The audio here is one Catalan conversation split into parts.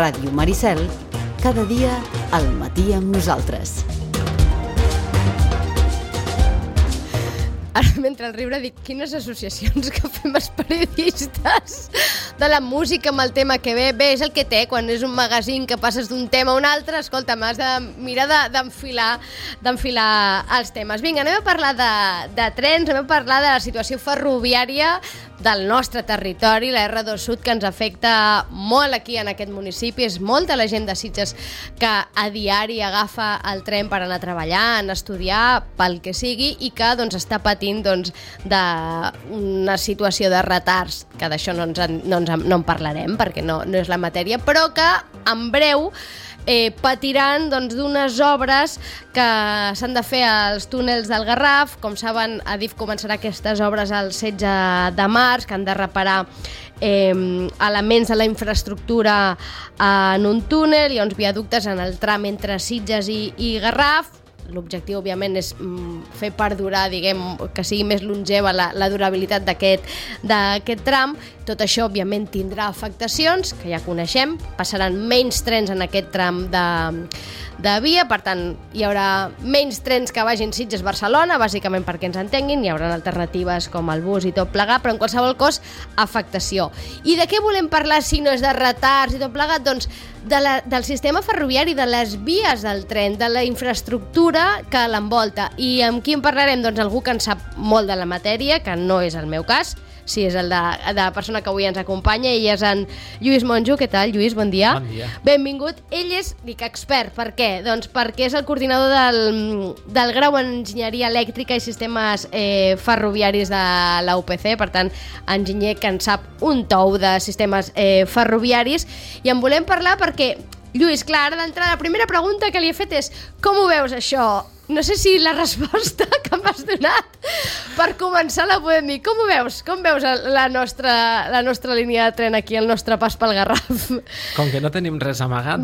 Ràdio Maricel, cada dia al matí amb nosaltres. Ara, mentre el riure, dic, quines associacions que fem els periodistes de la música amb el tema que ve. Bé, és el que té quan és un magazín que passes d'un tema a un altre. Escolta, m'has de mirar d'enfilar els temes. Vinga, anem a parlar de trens, anem a parlar de la situació ferroviària del nostre territori, la R2 Sud, que ens afecta molt aquí en aquest municipi. És molta la gent de Sitges que a diari agafa el tren per anar a treballar, anar a estudiar, pel que sigui, i que doncs, està patint d'una situació de retards, que d'això no en parlarem perquè no és la matèria, però que en breu patiran d'unes obres que s'han de fer als túnels del Garraf. Com saben, Adif començarà aquestes obres el 16 de març, que han de reparar elements de la infraestructura en un túnel. Hi ha uns viaductes en el tram entre Sitges i Garraf. L'objectiu, òbviament, és fer perdurar, que sigui més longeva la durabilitat d'aquest tram. Tot això, òbviament, tindrà afectacions, que ja coneixem. Passaran menys trens en aquest tram de via, per tant, hi haurà menys trens que vagin Sitges-Barcelona, bàsicament perquè ens entenguin. Hi haurà alternatives com el bus i tot plegat, però en qualsevol cas, afectació. I de què volem parlar si no és de retards i tot plegat? Doncs del sistema ferroviari, de les vies del tren, de la infraestructura que l'envolta. I amb qui en parlarem? Doncs algú que en sap molt de la matèria, que no és el meu cas, sí, és el de la persona que avui ens acompanya. Ell és en Lluís Monjo. Què tal, Lluís? Bon dia. Bon dia. Benvingut. Ell és, expert. Per què? Doncs perquè és el coordinador del grau en Enginyeria Elèctrica i Sistemes Ferroviaris de la UPC, per tant, enginyer que en sap un tou de sistemes ferroviaris. I en volem parlar perquè, Lluís, clar, ara d'entrada, la primera pregunta que li he fet és: com ho veus, això? No sé si la resposta que m'has donat per començar la podem dir. Com ho veus? Com veus la nostra línia de tren aquí, el nostre pas pel Garraf? Com que no tenim res amagat,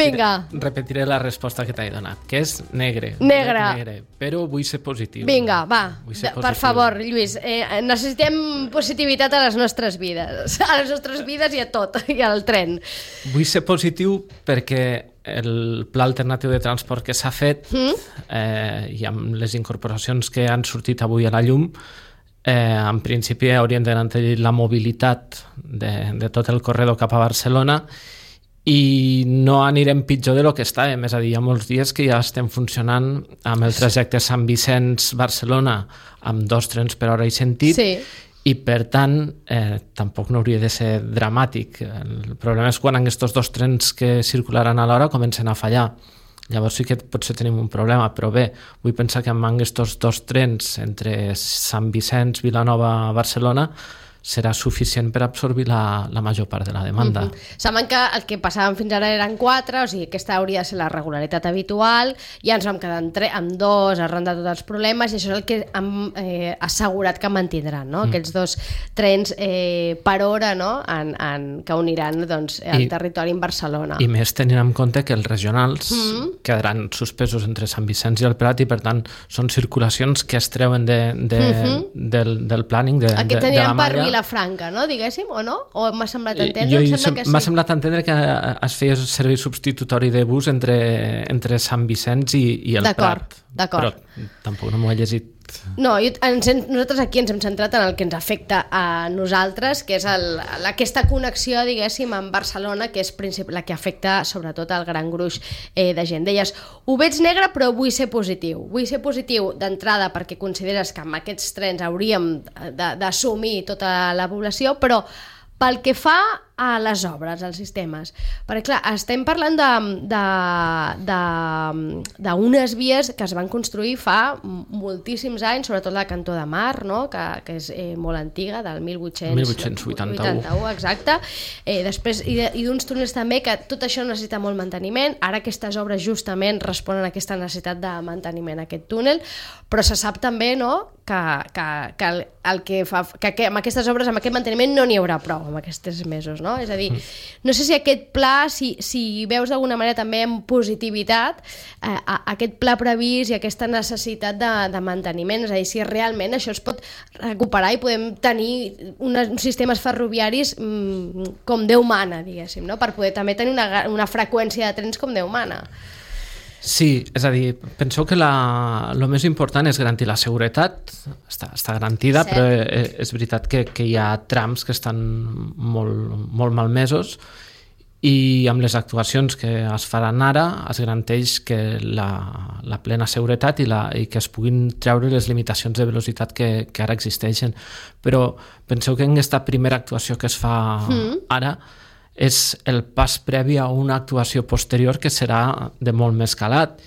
repetiré la resposta que t'he donat, que és negre. Negre. Però vull ser positiu. Vinga, va, per favor, Lluís, necessitem positivitat a les nostres vides. A les nostres vides i a tot, i al tren. Vull ser positiu perquè el pla alternatiu de transport que s'ha fet i amb les incorporacions que han sortit avui a la llum, en principi haurien de garantir la mobilitat de tot el corredor cap a Barcelona i no anirem pitjor de lo que estàvem. És a dir, hi ha molts dies que ja estem funcionant amb el trajecte Sant Vicenç-Barcelona amb 2 trens per hora i sentit. Sí. I, per tant, tampoc no hauria de ser dramàtic. El problema és quan aquests 2 trens que circularan alhora comencen a fallar. Llavors sí que potser tenim un problema, però bé, vull pensar que amb aquests 2 trens entre Sant Vicenç, Vilanova, Barcelona, serà suficient per absorbir la major part de la demanda. Saben que el que passàvem fins ara eren 4, o sigui, aquesta hauria de ser la regularitat habitual, ja ens vam quedar amb 2 arran de tots els problemes, i això és el que hem assegurat que mantindran, no? Aquests 2 trens per hora, no? Que uniran el territori en Barcelona. I més tenint en compte que els regionals quedaran suspesos entre Sant Vicenç i el Prat, i per tant són circulacions que es treuen del planning de la malla. Franca, no? Diguéssim, o no? O m'ha semblat entendre? M'ha semblat entendre que es feia servei substitutori de bus entre Sant Vicenç i el Prat. D'acord. Però tampoc no m'ho he llegit. No, nosaltres aquí ens hem centrat en el que ens afecta a nosaltres, que és aquesta connexió, diguéssim, amb Barcelona, que és la que afecta sobretot el gran gruix de gent. Deies, ho veig negre però vull ser positiu. Vull ser positiu d'entrada perquè consideres que amb aquests trens hauríem d'assumir tota la població, però pel que fa a les obres, als sistemes, perquè clar, estem parlant d'unes vies que es van construir fa moltíssims anys, sobretot la Cantó de Mar, no? que és molt antiga, del 1881, exacte. Després, i d'uns túnels també, que tot això necessita molt manteniment. Ara aquestes obres justament responen a aquesta necessitat de manteniment, aquest túnel, però se sap també, no?, que amb aquestes obres, amb aquest manteniment, no n'hi haurà prou amb aquests 3 mesos, no? no? És a dir, no sé si aquest pla, si veus d'alguna manera també amb positivitat aquest pla previst i aquesta necessitat de manteniment, és a dir, si realment això es pot recuperar i podem tenir uns sistemes ferroviaris com Déu mana, diguéssim, no? Per poder també tenir una freqüència de trens com Déu mana. Sí, és a dir, penseu que el més important és garantir la seguretat, està garantida, sí. Però és veritat que hi ha trams que estan molt malmesos i amb les actuacions que es faran ara es garanteix que la plena seguretat i que es puguin treure les limitacions de velocitat que ara existeixen. Però penseu que en aquesta primera actuació que es fa ara és el pas previ a una actuació posterior que serà de molt més calat,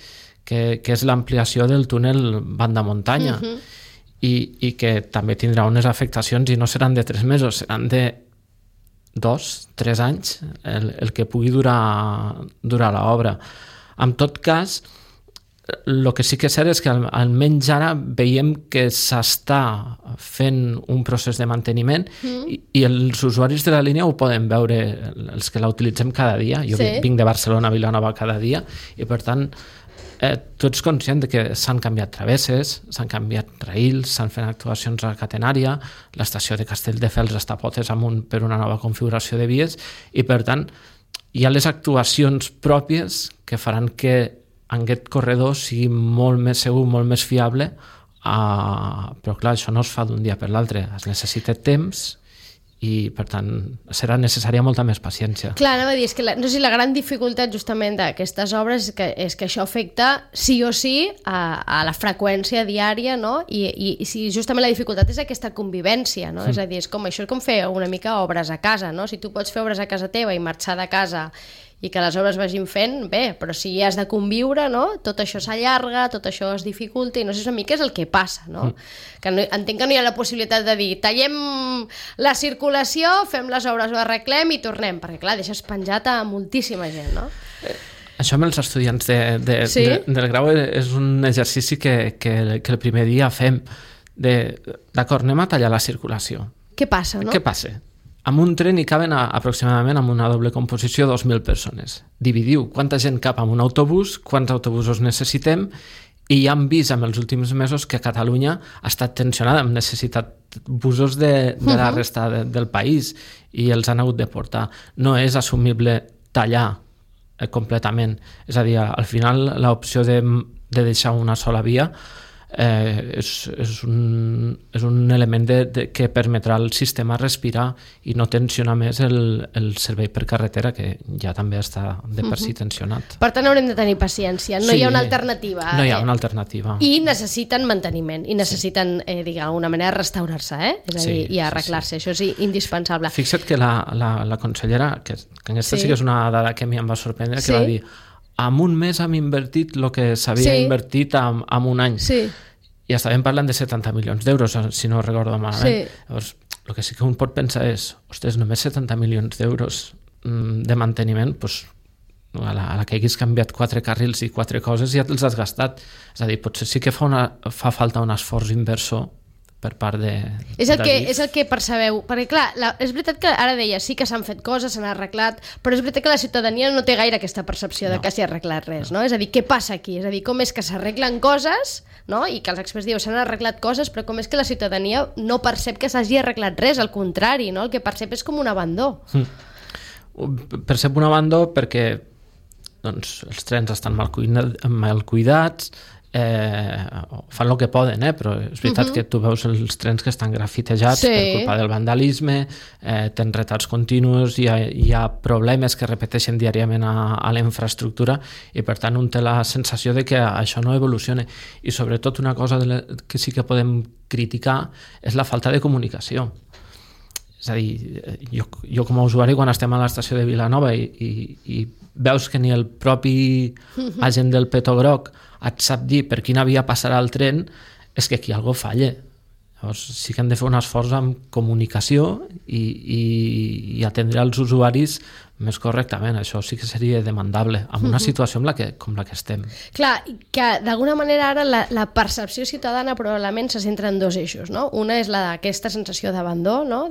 que és l'ampliació del túnel banda muntanya i que també tindrà unes afectacions i no seran de 3 mesos, seran de 2-3 anys el que pugui durar l'obra. En tot cas, el que sí que és cert és que almenys ara veiem que s'està fent un procés de manteniment i els usuaris de la línia ho poden veure, els que la utilitzem cada dia. Jo vinc de Barcelona a Vilanova cada dia i per tant tu ets conscient de que s'han canviat travesses, s'han canviat raïls, s'han fet actuacions a la catenària, l'estació de Castelldefels està a potes amunt per una nova configuració de vies i per tant hi ha les actuacions pròpies que faran que aquest corredor sigui molt més segur, molt més fiable, però clar, això no es fa d'un dia per l'altre, es necessita temps i per tant serà necessària molta més paciència. Clar, anava a dir, és que no sé, la gran dificultat justament d'aquestes obres és que això afecta sí o sí a la freqüència diària, no? I si justament la dificultat és aquesta convivència, no? És a dir, és com fer una mica obres a casa, no? Si tu pots fer obres a casa teva i marxar de casa i que les obres vagin fent, bé, però si has de conviure, no? Tot això s'allarga, tot això es dificulta i no sé una mica és el que passa, no? Que entenc que no hi ha la possibilitat de dir tallem la circulació, fem les obres, ho arreglem i tornem, perquè clar, deixes penjat a moltíssima gent, no? Això amb els estudiants del grau és un exercici que el primer dia fem d'acord, anem a tallar la circulació. Què passa, no? Què passa? En un tren hi caben aproximadament amb una doble composició 2.000 persones. Dividiu quanta gent cap en un autobús, quants autobusos necessitem i ja hem vist en els últims mesos que Catalunya ha estat tensionada, hem necessitat busos de la resta del país i els han hagut de portar. No és assumible tallar completament. És a dir, al final l'opció de deixar una sola via és un element que permetrà al sistema respirar i no tensionar més el servei per carretera, que ja també està de per si tensionat. Per tant, haurem de tenir paciència. No hi ha una alternativa. No hi ha una alternativa. I necessiten manteniment, i necessiten, d'alguna manera, restaurar-se, és a dir, i arreglar-se. Això és indispensable. Fixa't que la consellera, que aquesta sí que és una dada que a mi em va sorprendre, que va dir en un mes hem invertit el que s'havia invertit en un any. Sí. I estàvem parlant de 70 milions d'euros, si no recordo malament. Sí. Llavors, el que sí que un pot pensar és, ostres, només 70 milions d'euros de manteniment, doncs, a la que haguis canviat 4 carrils i 4 coses ja te'ls has gastat. És a dir, potser sí que fa falta un esforç inversor per part de és el que percebeu, perquè clar, és veritat que ara deia, sí que s'han fet coses, s'han arreglat, però és veritat que la ciutadania no té gaire aquesta percepció de que s'hi ha arreglat res, no? És a dir, què passa aquí? És a dir, com és que s'arreglen coses, no? I que els experts diuen s'han arreglat coses, però com és que la ciutadania no percep que s'hagi arreglat res, al contrari, no? El que percep és com un abandó. Percep un abandó perquè doncs, els trens estan mal cuidats, fan el que poden, però és veritat que tu veus els trens que estan grafitejats per culpa del vandalisme, tenen retards continus, hi ha problemes que repeteixen diàriament a la infraestructura i per tant un té la sensació de que això no evoluciona i sobretot una cosa que sí que podem criticar és la falta de comunicació. És a dir, jo com a usuari quan estem a l'estació de Vilanova i veus que ni el propi agent del Peto Groc et sap dir per quina via passarà el tren, és que aquí alguna cosa falla. Llavors sí que hem de fer un esforç amb comunicació i atendre els usuaris més correctament. Això sí que seria demandable en una situació com la que estem. Clar, que d'alguna manera ara la percepció ciutadana probablement se centra en dos eixos, no? Una és aquesta sensació d'abandó, no?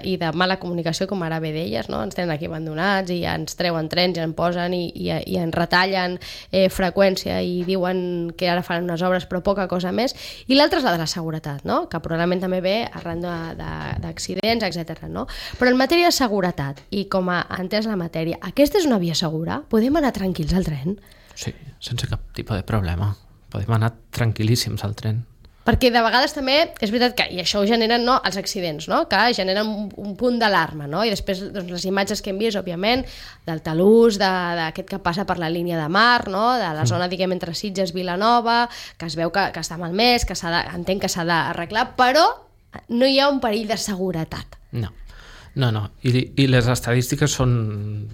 I de mala comunicació, com ara bé deies, no? Ens tenen aquí abandonats i ens treuen trens i en posen i ens retallen freqüència i diuen que ara faran unes obres però poca cosa més. I l'altra és la de la seguretat, no? Que probablement també ve arran d'accidents, etc. No? Però en matèria de seguretat i com a entès la matèria, aquesta és una via segura? Podem anar tranquils al tren? Sí, sense cap tipus de problema. Podem anar tranquil·líssims al tren. Perquè de vegades també és veritat que, i això ho generen els accidents, no? Que generen un punt d'alarma, no? I després doncs, les imatges que hem vist, òbviament, del talús, d'aquest que passa per la línia de mar, no? De la zona, diguem, entre Sitges i Vilanova, que es veu que està malmès, que entenc que s'ha d'arreglar, però no hi ha un perill de seguretat. No. I les estadístiques són...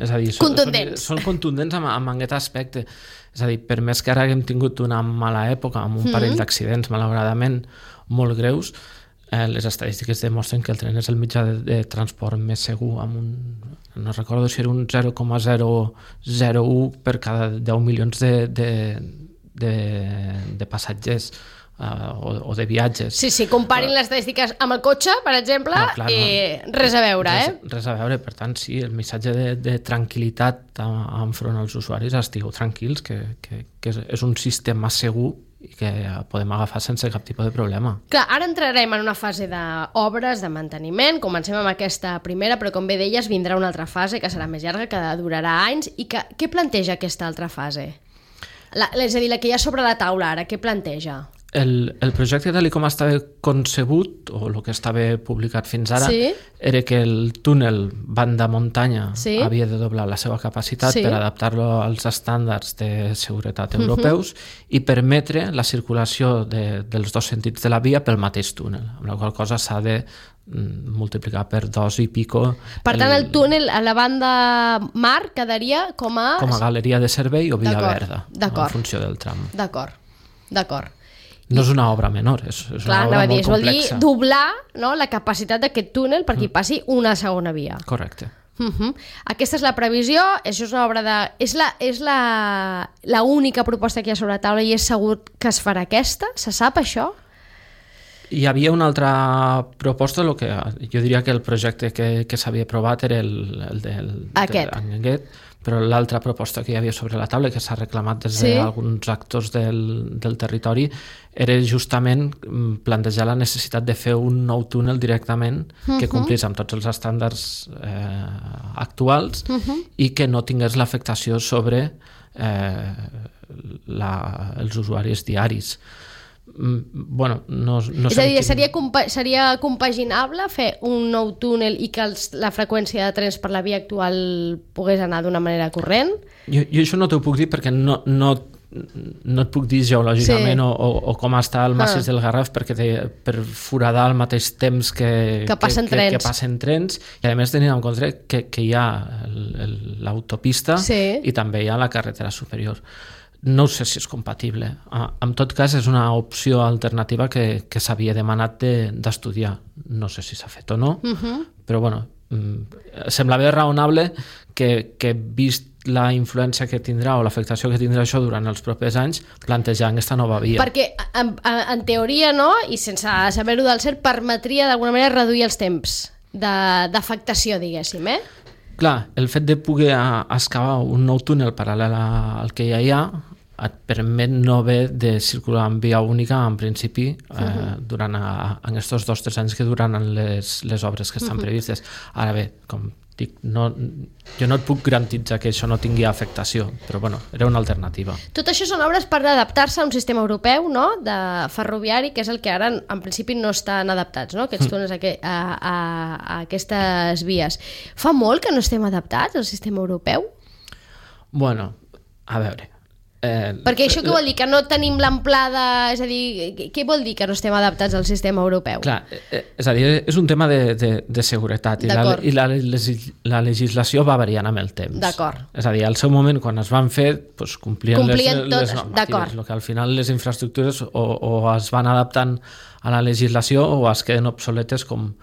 És a dir, són contundents amb aquest aspecte. És a dir, per més que ara haguem tingut una mala època amb un parell d'accidents malauradament molt greus, les estadístiques demostren que el tren és el mitjà de transport més segur, amb no recordo si era un 0,001 per cada 10 milions de passatgers o de viatges. Sí, comparin les estadístiques amb el cotxe, per exemple, res a veure, Res a veure, per tant, sí, el missatge de tranquil·litat enfront als usuaris, estigueu tranquils, que és un sistema segur i que podem agafar sense cap tipus de problema. Clar, ara entrarem en una fase d'obres, de manteniment, comencem amb aquesta primera, però com bé deies, vindrà una altra fase que serà més llarga, que durarà anys, i què planteja aquesta altra fase? És a dir, la que hi ha sobre la taula ara, què planteja? El projecte tal com estava concebut, o el que estava publicat fins ara, era que el túnel banda muntanya havia de doblar la seva capacitat per adaptar-lo als estàndards de seguretat europeus i permetre la circulació dels dos sentits de la via pel mateix túnel, amb la qual cosa s'ha de multiplicar per 2 i pico. Per tant, el túnel a la banda mar quedaria com a galeria de servei o via verda, en funció del tram. D'acord. No és una obra menor, és una obra molt complexa. Vol dir doblar la capacitat d'aquest túnel perquè hi passi una segona via. Correcte. Aquesta és la previsió, això és una obra de... És la única proposta que hi ha sobre la taula i és segur que es farà aquesta? Se sap això? Hi havia una altra proposta, jo diria que el projecte que s'havia aprovat era el d'Anguet, però l'altra proposta que hi havia sobre la taula, que s'ha reclamat des d'alguns actors del territori, era justament plantejar la necessitat de fer un nou túnel directament que complís amb tots els estàndards actuals i que no tingués l'afectació sobre els usuaris diaris. És a dir, seria compaginable fer un nou túnel i que la freqüència de trens per la via actual pogués anar d'una manera corrent? Jo això no t'ho puc dir perquè no et puc dir geològicament o com està el massís del Garraf per foradar al mateix temps que passen trens i a més tenint en compte que hi ha l'autopista i també hi ha la carretera superior. No sé si és compatible. En tot cas, és una opció alternativa que s'havia demanat d'estudiar. No sé si s'ha fet o no, però semblava raonable que vist la influència que tindrà o l'afectació que tindrà això durant els propers anys, plantejar aquesta nova via. Perquè, en teoria, no, i sense saber-ho del cert, permetria d'alguna manera reduir els temps d'afectació, diguéssim, Clar, el fet de poder excavar un nou túnel paral·lel al que ja hi ha et permet no haver de circular en via única en principi durant aquests 2 o 3 anys que duran les obres que estan previstes. Ara bé, com dic, jo no et puc garantitzar que això no tingui afectació, però era una alternativa. Tot això són obres per adaptar-se a un sistema europeu, no?, de ferroviari, que és el que ara en principi no estan adaptats, no?, aquests túnels a aquestes vies. Fa molt que no estem adaptats al sistema europeu? A veure... Perquè això què vol dir? Que no tenim l'amplada... És a dir, què vol dir que no estem adaptats al sistema europeu? Clar, és a dir, és un tema de seguretat i la legislació va variant amb el temps. D'acord. És a dir, al seu moment, quan es van fer, complien les normatives. El que al final les infraestructures o es van adaptant la legislació o es queden obsoletes com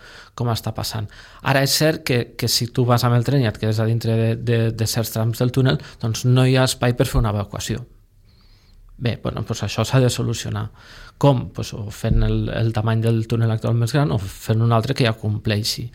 està passant. Ara és cert que si tu vas amb el tren i et quedes a dintre de certs trams del túnel, doncs no hi ha espai per fer una evacuació. Bé, doncs això s'ha de solucionar. Com? O fent el tamany del túnel actual més gran o fent un altre que ja compleixi.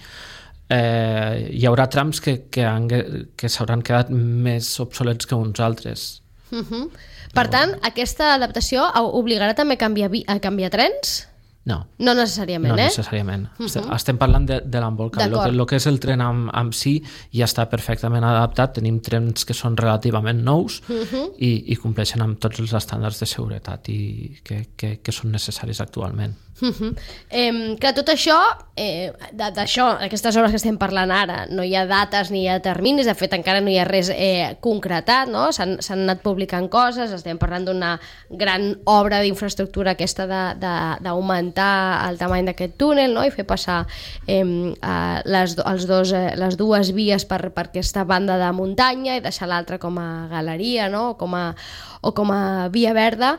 Hi haurà trams que s'hauran quedat més obsolets que uns altres. Per tant, aquesta adaptació obligarà també a canviar trens? No. No necessàriament, No necessàriament. Estem parlant de l'embolcall. El que és el tren amb si ja està perfectament adaptat. Tenim trens que són relativament nous i compleixen amb tots els estàndards de seguretat i que són necessaris actualment. Clar, tot això, aquestes obres que estem parlant ara, no hi ha dates ni hi ha terminis, de fet encara no hi ha res concretat, no? S'han anat publicant coses, estem parlant d'una gran obra d'infraestructura aquesta d'augmentar el tamany d'aquest túnel, no? I fer passar les dues vies per aquesta banda de muntanya i deixar l'altra com a galeria, no? o com a via verda.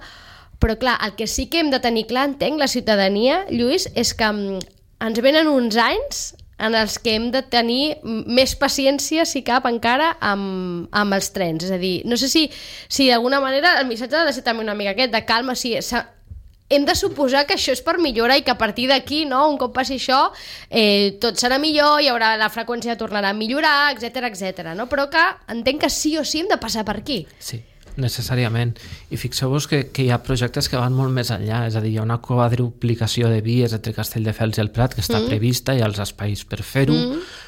Però clar, el que sí que hem de tenir clar, entenc, la ciutadania, Lluís, és que ens venen uns anys en els que hem de tenir més paciència, si cap, encara amb els trens. És a dir, no sé si d'alguna manera el missatge ha de ser també una mica aquest, de calma, hem de suposar que això és per millorar i que a partir d'aquí, no, un cop passi això, tot serà millor, la freqüència tornarà a millorar, etc, no? Però que entenc que sí o sí hem de passar per aquí. Sí, necessàriament. I fixeu-vos que hi ha projectes que van molt més enllà, és a dir, hi ha una quadruplicació de vies entre Castelldefels i el Prat que està prevista, hi ha els espais per fer-ho,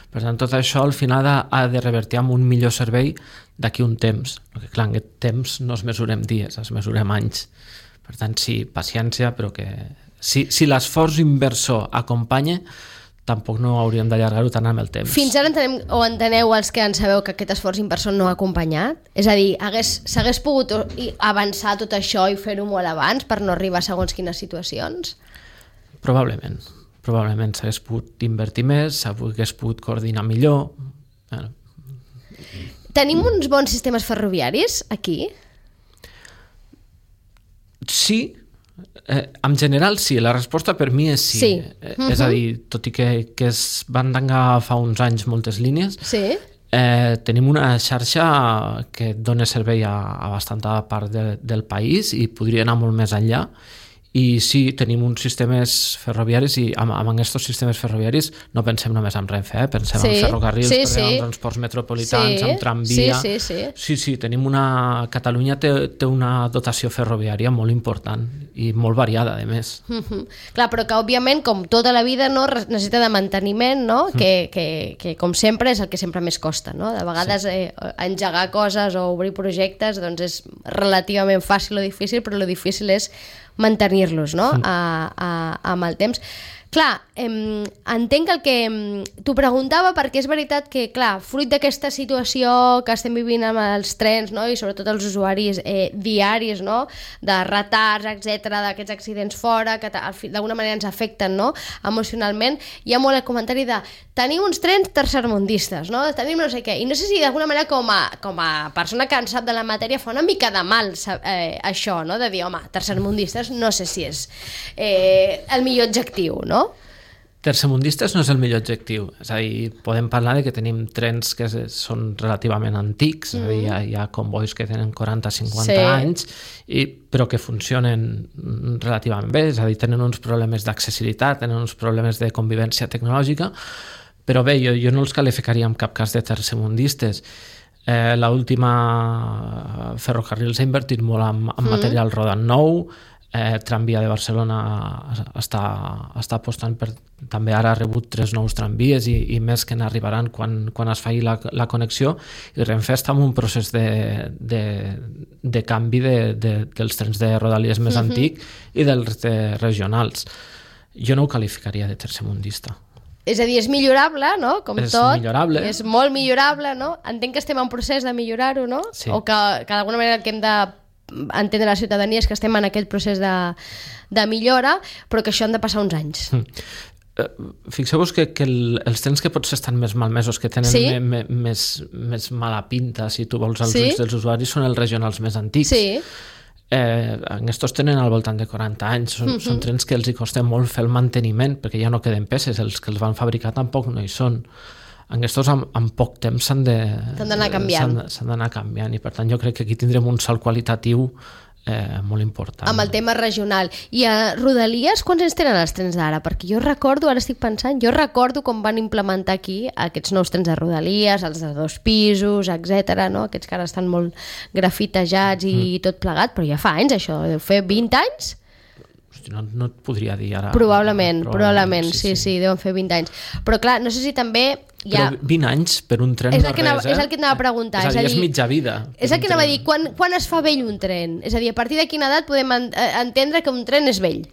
per tant tot això al final ha de revertir amb un millor servei d'aquí un temps, perquè clar, en aquest temps no es mesurem dies, es mesurem anys. Per tant, sí, paciència, però que si l'esforç inversor acompanya, tampoc no hauríem d'allargar-ho tant amb el temps. Fins ara enteneu els que en sabeu que aquest esforç inversor no ha acompanyat? És a dir, s'hagués pogut avançar tot això i fer-ho molt abans per no arribar a segons quines situacions? Probablement s'hagués pogut invertir més, s'hagués pogut coordinar millor. Bueno. Tenim uns bons sistemes ferroviaris aquí? Sí, en general sí, la resposta per mi és sí. És a dir, tot i que es van tancar fa uns anys moltes línies, tenim una xarxa que dona servei a bastanta part del país i podria anar molt més enllà. I sí, tenim uns sistemes ferroviaris i amb aquests sistemes ferroviaris no pensem només en Renfe, pensem en ferrocarrils, en transports metropolitans, en tramvia. Sí, tenim Catalunya té una dotació ferroviària molt important i molt variada, a més. Clar, però que òbviament, com tota la vida, no, necessita de manteniment, no? Que com sempre és el que sempre més costa, no? De vegades engegar coses o obrir projectes doncs és relativament fàcil o difícil, però lo difícil és mantenir-los, no? Amb el temps. Clar, entenc el que t'ho preguntava perquè és veritat que, clar, fruit d'aquesta situació que estem vivint amb els trens, no? I sobretot els usuaris diaris, no? De retards, etc, d'aquests accidents fora, que d'alguna manera ens afecten, no? Emocionalment, hi ha molt el comentari de tenim uns trens tercermundistes, no? Tenim no sé què, i no sé si d'alguna manera com a persona que en sap de la matèria fa una mica de mal això, no? De dir, home, tercermundistes no sé si és el millor adjectiu, no? Tercermundistes no és el millor objectiu, és a dir, podem parlar de que tenim trens que són relativament antics, és a dir, hi ha convois que tenen 40-50 anys, però que funcionen relativament bé, és a dir, tenen uns problemes d'accessibilitat, tenen uns problemes de convivència tecnològica, però bé, jo no els qualificaria en cap cas de tercermundistes. L'última Ferrocarrils ha invertit molt en material rodant nou, Tramvia de Barcelona està apostant per... També ara ha rebut 3 nous tramvies i més que n'arribaran quan es faci la connexió, i Renfe està en un procés de canvi dels trens de Rodalies més antic i dels regionals. Jo no ho qualificaria de tercermundista. És a dir, és millorable, no? Com és tot. Millorable. És molt millorable, no? Entenc que estem en procés de millorar-ho, no? Sí. O que d'alguna manera el que hem de entendre la ciutadania és que estem en aquest procés de millora, però que això han de passar uns anys. Fixeu-vos que els trens que potser estan més malmesos, que tenen més mala pinta, si tu vols, als ulls dels usuaris, són els regionals més antics. Aquests tenen al voltant de 40 anys, són trens que els hi costa molt fer el manteniment, perquè ja no queden peces, els que els van fabricar tampoc no hi són. Aquests en poc temps s'han d'anar canviant. S'han d'anar canviant, i per tant jo crec que aquí tindrem un salt qualitatiu molt important. Amb el tema regional. I a Rodalies, quants anys tenen els trens d'ara? Perquè jo recordo, ara estic pensant, com van implementar aquí aquests nous trens de Rodalies, els de 2 pisos, etc. No? Aquests que ara estan molt grafitejats i tot plegat, però ja fa anys això, deu fer 20 anys? Hosti, no et podria dir ara. Probablement, sí, deuen fer 20 anys. Però clar, no sé si també Però 20 anys per un tren és no res, És el que anava a preguntar. És a dir, és mitja vida. És el que anava a dir, quan es fa vell un tren? És a dir, a partir de quina edat podem entendre que un tren és vell?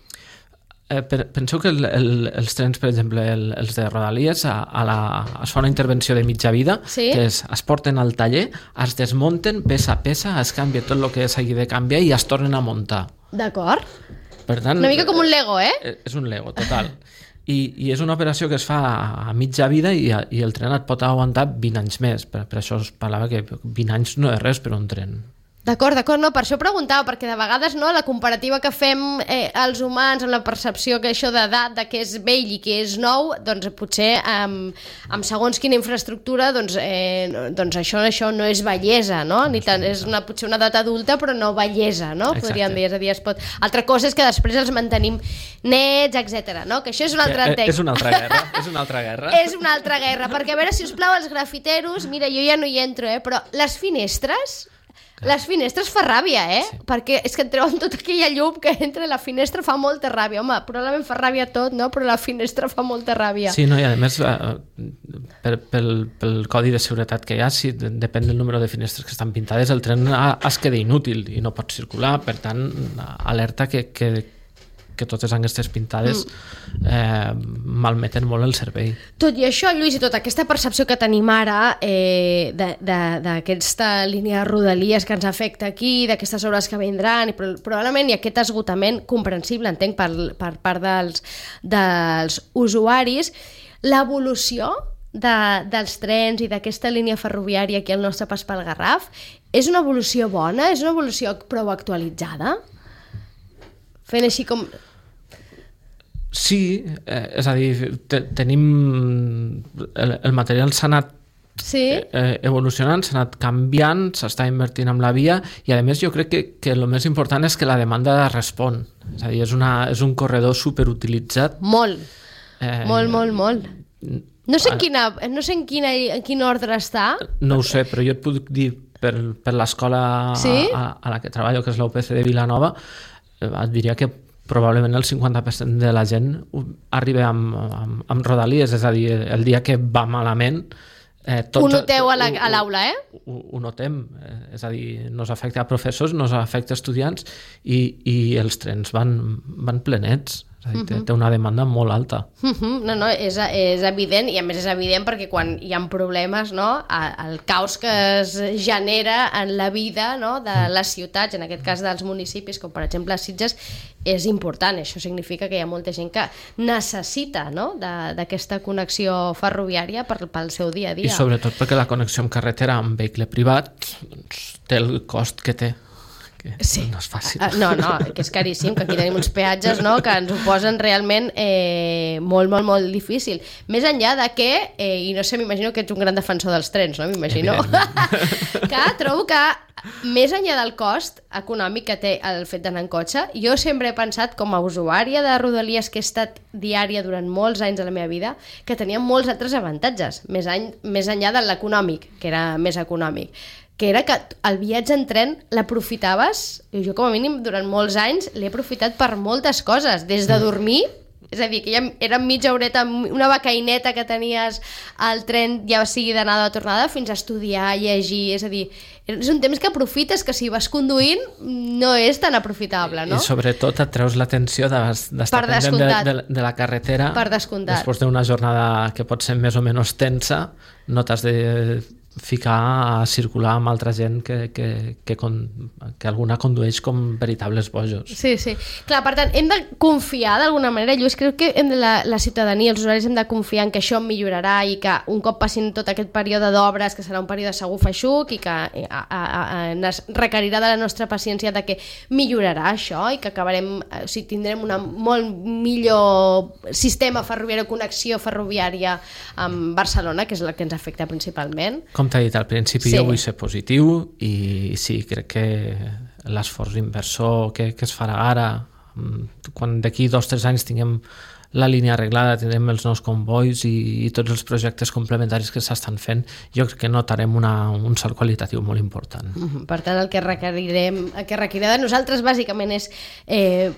Penseu que els trens, per exemple, els de Rodalies, es fa una intervenció de mitja vida, que es porten al taller, es desmunten peça a peça, es canvia tot el que s'hagi de canviar i es tornen a muntar. D'acord. Per tant, una mica com un Lego, És un Lego, total. I és una operació que es fa a mitja vida i el tren et pot aguantar 20 anys més. Per això es parlava que 20 anys no és res per un tren. D'acord, no, per això preguntava, perquè de vegades la comparativa que fem els humans amb la percepció que això d'edat, de què és vell i què és nou, doncs potser amb segons quina infraestructura doncs això no és vellesa, no? Ni tant, és potser una edat adulta però no vellesa, no? Podríem dir, és a dir, altra cosa és que després els mantenim nets, etc. No? Que això és un altre text. És una altra guerra, és una altra guerra. És una altra guerra, perquè a veure, si us plau, els grafiteros, mira, jo ja no hi entro, però les finestres fa ràbia, Sí. Perquè és que et treuen tota aquella llum que entra a la finestra, fa molta ràbia. Home, probablement fa ràbia tot, no? Però la finestra fa molta ràbia. Sí, no, i a més, pel codi de seguretat que hi ha, si depèn del número de finestres que estan pintades, el tren es queda inútil i no pot circular. Per tant, alerta que totes aquestes pintades malmeten molt el servei. Tot i això, Lluís, i tota aquesta percepció que tenim ara d'aquesta línia de Rodalies que ens afecta aquí, d'aquestes obres que vindran, i probablement hi ha aquest esgotament comprensible, entenc, per part dels usuaris, l'evolució dels trens i d'aquesta línia ferroviària aquí al nostre pas pel Garraf és una evolució bona? És una evolució prou actualitzada? Fent així com... Sí, és a dir, tenim... El material s'ha anat evolucionant, s'ha anat canviant, s'està invertint en la via i a més jo crec que el més important és que la demanda respon. És a dir, és un corredor superutilitzat. Molt. Molt. No sé en quin ordre està. No ho sé, però jo et puc dir per l'escola a la que treballo, que és l'UPC de Vilanova, et diria que probablement el 50% de la gent arriba amb Rodalies, és a dir, el dia que va malament ho noteu a l'aula, Ho notem, és a dir, no s'afecta a professors, no s'afecta a estudiants i els trens van plenets. Té una demanda molt alta. No, és evident, i a més és evident perquè quan hi ha problemes, no, el caos que es genera en la vida, no, de les ciutats, en aquest cas dels municipis, com per exemple Sitges, és important. Això significa que hi ha molta gent que necessita, no, d'aquesta connexió ferroviària pel seu dia a dia. I sobretot perquè la connexió amb carretera amb vehicle privat té el cost que té. Sí. No és fàcil. No, que és caríssim, que aquí tenim uns peatges, no, que ens ho posen realment molt difícil. Més enllà de que, i no sé, m'imagino que ets un gran defensor dels trens, no? M'imagino. Que trobo que més enllà del cost econòmic que té el fet d'anar en cotxe, jo sempre he pensat, com a usuària de Rodalies, que he estat diària durant molts anys de la meva vida, que tenia molts altres avantatges, més enllà de l'econòmic, que era més econòmic, que era que el viatge en tren l'aprofitaves, i jo com a mínim durant molts anys l'he aprofitat per moltes coses, des de dormir, és a dir, que ja era mitja horeta, una becaineta que tenies al tren, ja sigui d'anada o tornada, fins a estudiar, llegir, és a dir, és un temps que aprofites, que si vas conduint no és tan aprofitable, no? I sobretot et treus l'atenció d'estar pendent de la carretera. Per descomptat. Després d'una jornada que pot ser més o menys tensa, no t'has de ficar a circular amb altra gent que alguna condueix com veritables bojos. Sí. Clar, per tant, hem de confiar d'alguna manera, Lluís, crec que la ciutadania, els usuaris hem de confiar en que això millorarà i que un cop passin tot aquest període d'obres, que serà un període segur feixuc i que es requerirà de la nostra paciència de que millorarà això i que acabarem, tindrem un molt millor sistema ferroviari, connexió ferroviària amb Barcelona, que és la que ens afecta principalment. Com t'he dit al principi, jo vull ser positiu i sí, crec que l'esforç inversor que es farà ara, quan d'aquí 2 o 3 anys tinguem la línia arreglada, tindrem els nous convois i tots els projectes complementaris que s'estan fent, jo crec que notarem un salt qualitatiu molt important. Per tant, el que requerirà de nosaltres bàsicament és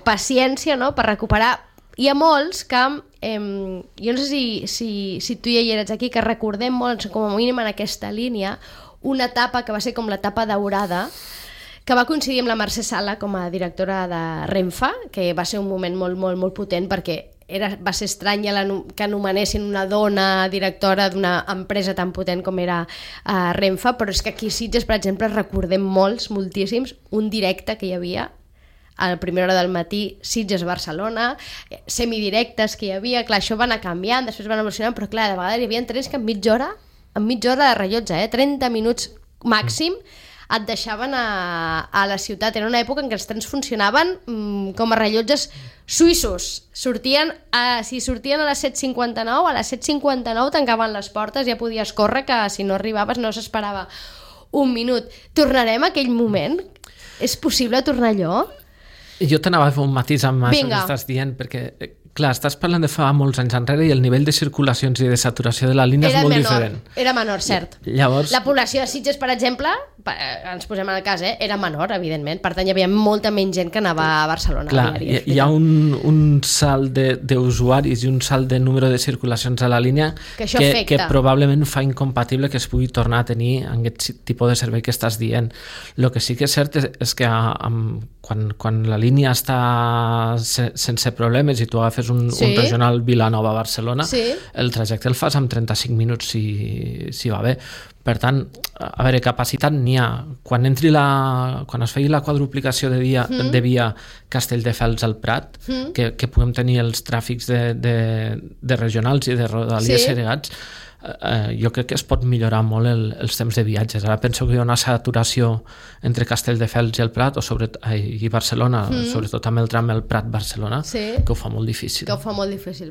paciència, no?, per recuperar. Hi ha molts que, jo no sé si tu ja hi eres aquí, que recordem molt, com a mínim en aquesta línia, una etapa que va ser com l'etapa daurada, que va coincidir amb la Mercè Sala com a directora de Renfe, que va ser un moment molt, molt, molt potent perquè va ser estrany que anomenessin una dona directora d'una empresa tan potent com era Renfe, però és que aquí a Sitges, per exemple, recordem moltíssims, un directe que hi havia a la primera hora del matí, Sitges-Barcelona, semidirectes que hi havia, clar, això va anar canviant, després van evolucionant, però clar, de vegades hi havia trens que en mitja hora de rellotge, 30 minuts màxim, et deixaven a la ciutat. Era una època en què els trens funcionaven com a rellotges suïssos. Si sortien a les 7:59, a les 7:59 tancaven les portes, ja podies córrer, que si no arribaves no s'esperava un minut. Tornarem a aquell moment? És possible tornar allò? Jo t'anava a fer un matís amb això que estàs dient, perquè, clar, estàs parlant de fa molts anys enrere i el nivell de circulacions i de saturació de la línia és molt diferent. Era menor, cert. Llavors... La població de Sitges, per exemple, ens posem en el cas, era menor, evidentment. Per tant, hi havia molta menys gent que anava a Barcelona. Clar, hi ha un salt d'usuaris i un salt de número de circulacions a la línia que probablement fa incompatible que es pugui tornar a tenir aquest tipus de servei que estàs dient. El que sí que és cert és que quan la línia està sense problemes i tu agafes un regional Vilanova-Barcelona, el trajecte el fas en 35 minuts si va bé. Per tant, a veure, capacitat n'hi ha. Quan es feia la quadruplicació de via Castelldefels al Prat, que puguem tenir els tràfics de regionals i de rodalies segregats, jo crec que es pot millorar molt els temps de viatges. Ara penso que hi ha una saturació entre Castelldefels i el Prat i Barcelona, sobretot amb el tram el Prat-Barcelona, que ho fa molt difícil.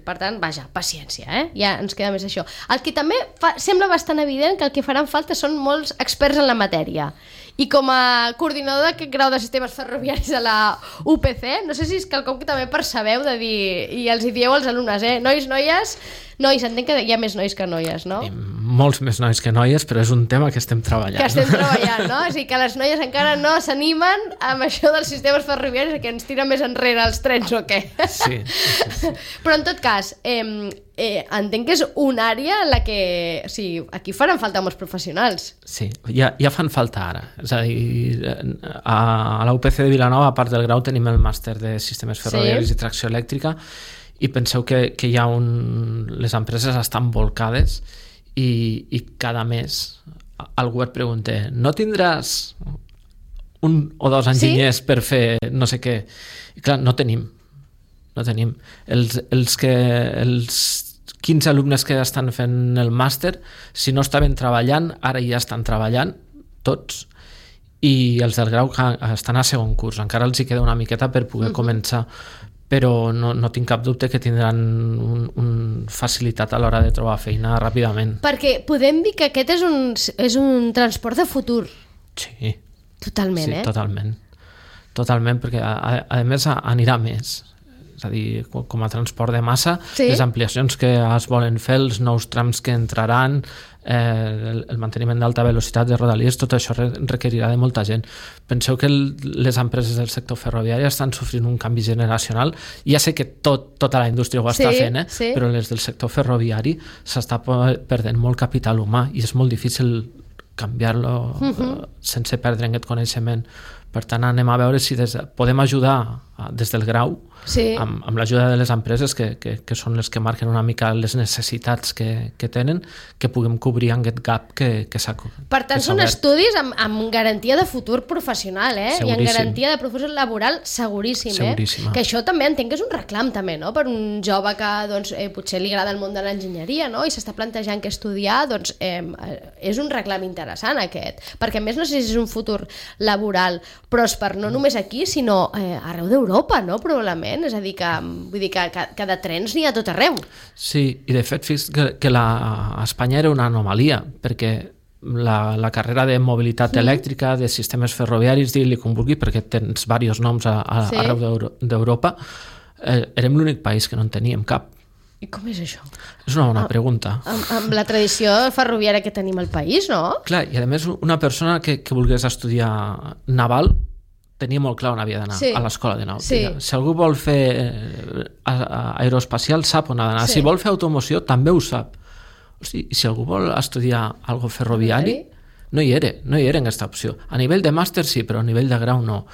Per tant, vaja, paciència, ja ens queda més això. El que també sembla bastant evident que el que faran falta són molts experts en la matèria. I com a coordinador d'aquest grau de sistemes ferroviaris a la UPC, no sé si és quelcom que també percebeu de dir, i els hi dieu als alumnes, nois, entenc que hi ha més nois que noies, no? Molts més nois que noies, però és un tema que estem treballant. No? És a dir, que les noies encara no s'animen amb això dels sistemes ferroviaris, que ens tira més enrere els trens o què? Sí. Però en tot cas, entenc que és una àrea en la que aquí faran falta molts professionals. Sí, ja fan falta ara. És a dir, a la UPC de Vilanova, a part del grau, tenim el màster de sistemes ferroviaris i tracció elèctrica, i penseu que les empreses estan volcades i cada mes el govern pregunta, no tindràs 1 o 2 enginyers per fer no sé què? I clar, no tenim. Els 15 alumnes que estan fent el màster, si no estaven treballant, ara ja estan treballant tots, i els del grau estan a segon curs, encara els hi queda una miqueta per poder començar, però no tinc cap dubte que tindran facilitat a l'hora de trobar feina ràpidament. Perquè podem dir que aquest és un transport de futur. Sí. Totalment, Sí, totalment, perquè a més anirà més. És a dir, com a transport de massa, les ampliacions que es volen fer, els nous trams que entraran, el manteniment d'alta velocitat de rodalies, tot això requerirà de molta gent. Penseu que les empreses del sector ferroviari estan sofrint un canvi generacional. Ja sé que tota la indústria ho està fent, però les del sector ferroviari s'està perdent molt capital humà i és molt difícil canviar-lo sense perdre aquest coneixement. Per tant, anem a veure si podem ajudar des del grau amb l'ajuda de les empreses que són les que marquen una mica les necessitats que tenen, que puguem cobrir aquest gap que s'ha obert. Per tant, són estudis amb garantia de futur professional, Seguríssim. I amb garantia de professió laboral seguríssim. Seguríssima. Que això també entenc que és un reclam també, no? Per un jove que doncs, potser li agrada el món de l'enginyeria, no? I s'està plantejant què estudiar, doncs és un reclam interessant aquest, perquè a més no sé si és un futur laboral pròsper, no només aquí, sinó arreu d'Europa, no? Probablement. És a dir, que de trens n'hi ha tot arreu. Sí, i de fet, fix que a Espanya era una anomalia, perquè la carrera de mobilitat elèctrica, de sistemes ferroviaris, digue-li com vulgui, perquè tens diversos noms arreu d'Europa, érem l'únic país que no en teníem cap. I com és això? És una bona pregunta. Amb la tradició ferroviària que tenim al país, no? Clar, i a més una persona que volgués estudiar naval tenia molt clar on havia d'anar, a l'escola de nàutica. Si algú vol fer aeroespacial, sap on ha d'anar. Si vol fer automoció, també ho sap. Hosti, si algú vol estudiar algo ferroviari, no hi era en aquesta opció. A nivell de màster sí, però a nivell de grau no.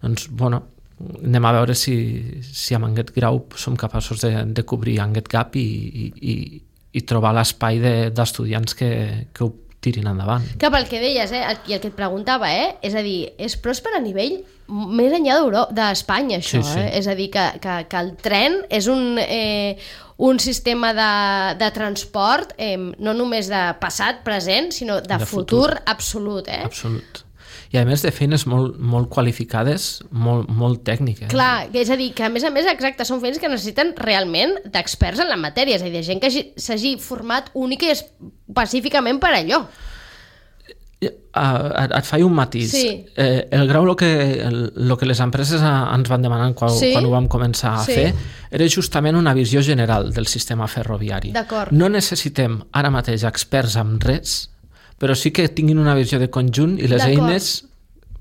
Doncs, bueno, anem a veure si amb aquest grau som capaços de cobrir aquest gap i trobar l'espai d'estudiants que ho tirin endavant. Que pel que deies, i el que et preguntava, és a dir, és pròsper a nivell més enllà d'Espanya, això, Sí. És a dir, que el tren és un sistema de transport no només de passat, present, sinó de futur absolut, Absolut. I a més de feines molt qualificades, molt tècniques. Clar, és a dir, que a més, exacte, són feines que necessiten realment d'experts en la matèria, és a dir, de gent que s'hagi format única i específicament per allò. Et faig un matís. Sí. El grau, el que les empreses ens van demanar quan ho vam començar a fer, era justament una visió general del sistema ferroviari. D'acord. No necessitem ara mateix experts en res, però sí que tinguin una visió de conjunt i les eines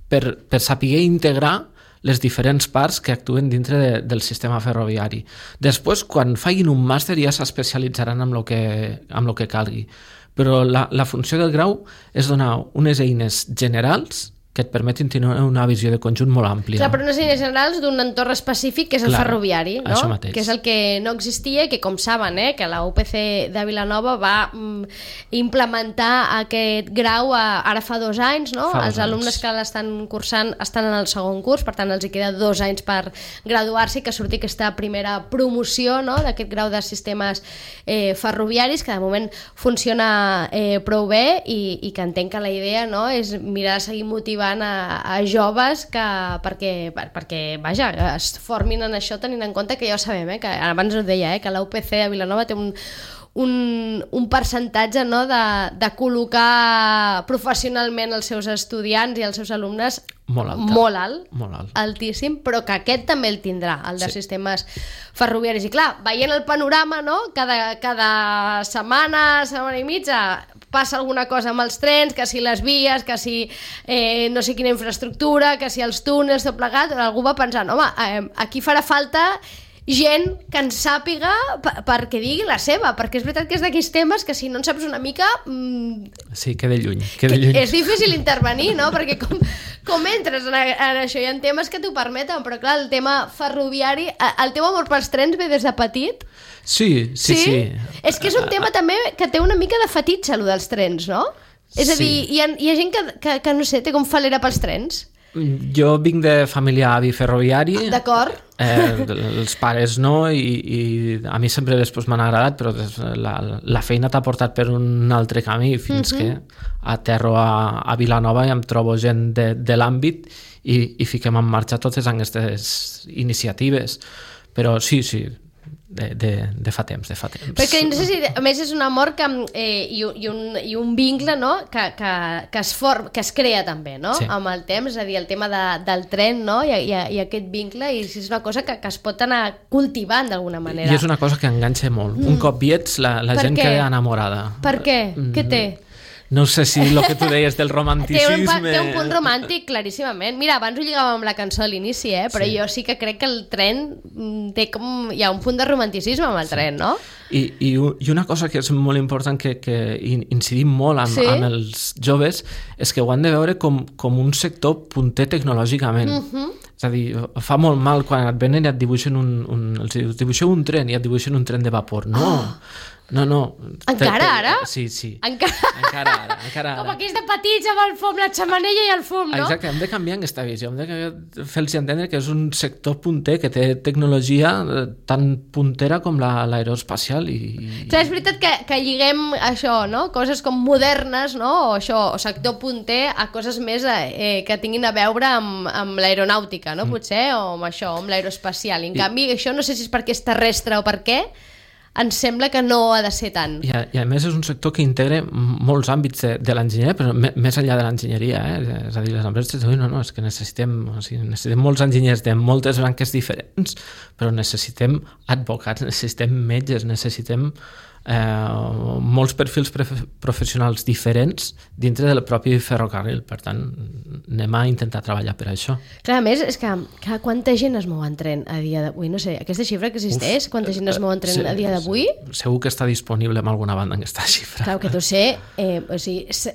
per saber integrar les diferents parts que actuen dintre del sistema ferroviari. Després, quan facin un màster, ja s'especialitzaran en el que calgui. Però la funció del grau és donar unes eines generals que et permetin tenir una visió de conjunt molt àmplia. Clar, però unes eines generals d'un entorn específic que és el ferroviari, no? Això mateix. Que és el que no existia i que, com saben, que la UPC de Vilanova va implementar aquest grau ara fa 2 anys, no? Els alumnes que l'estan cursant estan en el segon curs, per tant els hi queda 2 anys per graduar-se i que surti aquesta primera promoció, no? D'aquest grau de sistemes ferroviaris, que de moment funciona prou bé i que entenc que la idea, no?, és mirar de seguir motivant a joves perquè vaja, es formin en això, tenint en compte que ja ho sabem, que abans ho deia, que la UPC de Vilanova té un percentatge, no, de col·locar professionalment els seus estudiants i els seus alumnes molt alt, altíssim, però que aquest també el tindrà, el de sistemes ferroviaris. I clar, veient el panorama, no, cada setmana i mitja passa alguna cosa amb els trens, que si les vies, que si no sé quina infraestructura, que si els túnels, tot plegat, algú va pensant, home, aquí farà falta gent que en sàpiga perquè digui la seva, perquè és veritat que és d'aquells temes que si no en saps una mica... Sí, queda lluny. És difícil intervenir, no? Perquè com entres en això? Hi ha temes que t'ho permeten, però clar, el tema ferroviari, el teu amor pels trens ve des de petit? Sí. És que és un tema també que té una mica de fetitxe, allò dels trens, no? És a dir, hi ha gent que no sé, té com falera pels trens. Jo vinc de família avi ferroviari. D'acord. Els pares no, i a mi sempre després m'han agradat, però la feina t'ha portat per un altre camí fins que aterro a Vilanova i em trobo gent de l'àmbit i fiquem en marxa totes aquestes iniciatives. Però sí, de fa temps. Perquè no sé si, a més, és un amor i un vincle, no?, que es crea també, no?, amb el temps, és a dir, el tema del tren, no?, i aquest vincle, i és una cosa que es pot anar cultivant d'alguna manera. I és una cosa que enganxa molt. Un cop hi ets, la gent queda enamorada. Per què? Què té? No sé si el que tu deies del romanticisme... Té un punt romàntic, claríssimament. Mira, abans ho lligàvem amb la cançó a l'inici, però jo sí que crec que el tren té com... Hi ha un punt de romanticisme amb el tren, no? I una cosa que és molt important, que incidim molt amb els joves, és que ho han de veure com un sector punter tecnològicament. És a dir, fa molt mal quan et venen i et dibuixen els dibuixeu un tren i et dibuixen un tren de vapor. No. Encara ara? Sí. Encara ara. Com aquells de petits amb el fum, la xamanella i el fum, no? Exacte, hem de canviar aquesta visió, hem de fer-los entendre que és un sector punter, que té tecnologia tan puntera com l'aeroespacial. Clar, és veritat que lliguem això, no? Coses com modernes, no? O sector punter, a coses més que tinguin a veure amb l'aeronàutica, no? Potser, o amb això, amb l'aeroespacial. En canvi, això no sé si és perquè és terrestre o per què, ens sembla que no ha de ser tant. I a més és un sector que integra molts àmbits de l'enginyeria, però més enllà de l'enginyeria, és a dir, les empreses diuen, no, és que necessitem molts enginyers de moltes branques diferents, però necessitem advocats, necessitem metges, necessitem molts perfils professionals diferents dintre del propi ferrocarril. Per tant, anem a intentar treballar per això. Clar, a més, és que quanta gent es mou en tren a dia d'avui? No sé, aquesta xifra que existeix, quanta gent es mou en tren a dia d'avui? Segur que està disponible en alguna banda aquesta xifra. Clar, que tu sé,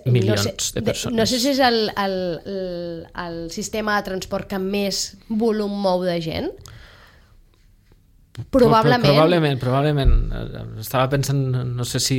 milions de persones. No sé si és el sistema de transport que més volum mou de gent. Probablement. Estava pensant, no sé si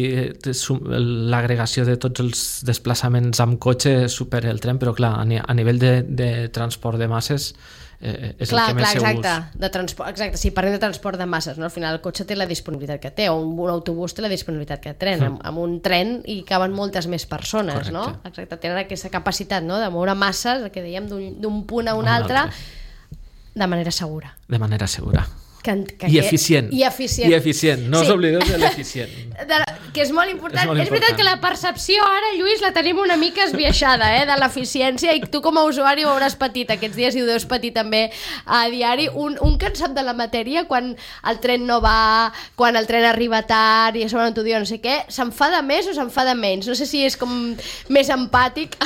l'agregació de tots els desplaçaments amb cotxe supera el tren, però clar, a nivell de transport de masses és el que més segurs. Exacte, si parlem de transport de masses, no? Al final el cotxe té la disponibilitat que té, o un autobús té la disponibilitat que té, amb un tren hi caben moltes més persones. Correcte. No? Exacte, tenen aquesta capacitat, no? De moure masses, el que dèiem, d'un punt a un altre, de manera segura. I eficient. No us oblideu de l'eficient. Que és molt important. És veritat que la percepció ara, Lluís, la tenim una mica esbiaixada, de l'eficiència, i tu com a usuari ho hauràs patit aquests dies i ho deus patir també a diari. Un que en sap de la matèria, quan el tren no va, quan el tren arriba tard i a sobre no t'ho diu no sé què, s'enfada més o s'enfada menys? No sé si és com més empàtic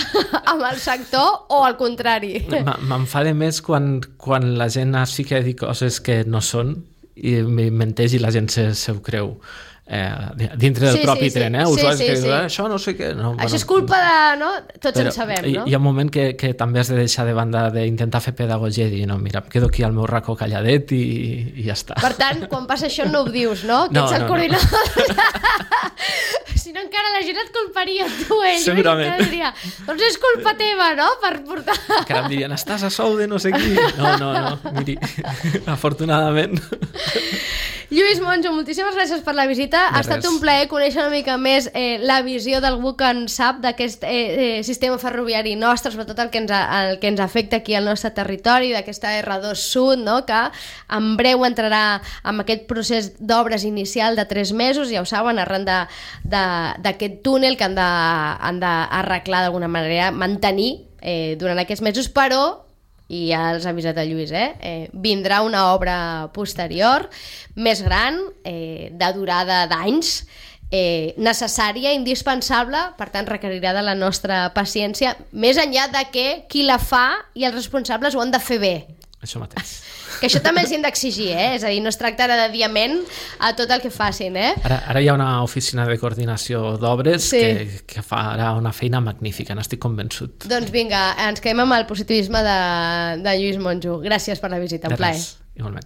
amb el sector o al contrari. M'enfada més quan la gent es fica a dir coses que no són i menteix i la gent se ho creu dintre del propi tren, usuaris que diuen això no sé què, això és culpa de, no? Tots en sabem, no? Hi ha un moment que també has de deixar de banda d'intentar fer pedagogia i dir, no, mira, em quedo aquí al meu racó calladet i ja està. Per tant, quan passa això no ho dius, no? Que ets el coordinador. Si no encara la gent et culparia tu, segurament. Diria, doncs és culpa teva, no? Per portar... Encara em dirien, estàs a sou de no sé qui. No, miri, afortunadament. Lluís Monjo, moltíssimes gràcies per la visita. Ha estat un plaer conèixer una mica més la visió d'algú que en sap d'aquest sistema ferroviari nostre, sobretot el que ens afecta aquí al nostre territori, d'aquesta R2 Sud, no? Que en breu entrarà en aquest procés d'obres inicial de 3 mesos, ja ho saben, arran d'aquest túnel que han d'arreglar d'alguna manera, mantenir durant aquests mesos, però i ja els ha avisat el Lluís, vindrà una obra posterior, més gran, de durada d'anys, necessària, indispensable, per tant requerirà de la nostra paciència, més enllà de que qui la fa i els responsables ho han de fer bé. Això mateix. Que això també els hem d'exigir, és a dir, no es tracta de diament a tot el que facin. Ara hi ha una oficina de coordinació d'obres que farà una feina magnífica, n'estic convençut. Doncs vinga, ens quedem amb el positivisme de Lluís Monjo. Gràcies per la visita, un plaer. Igualment.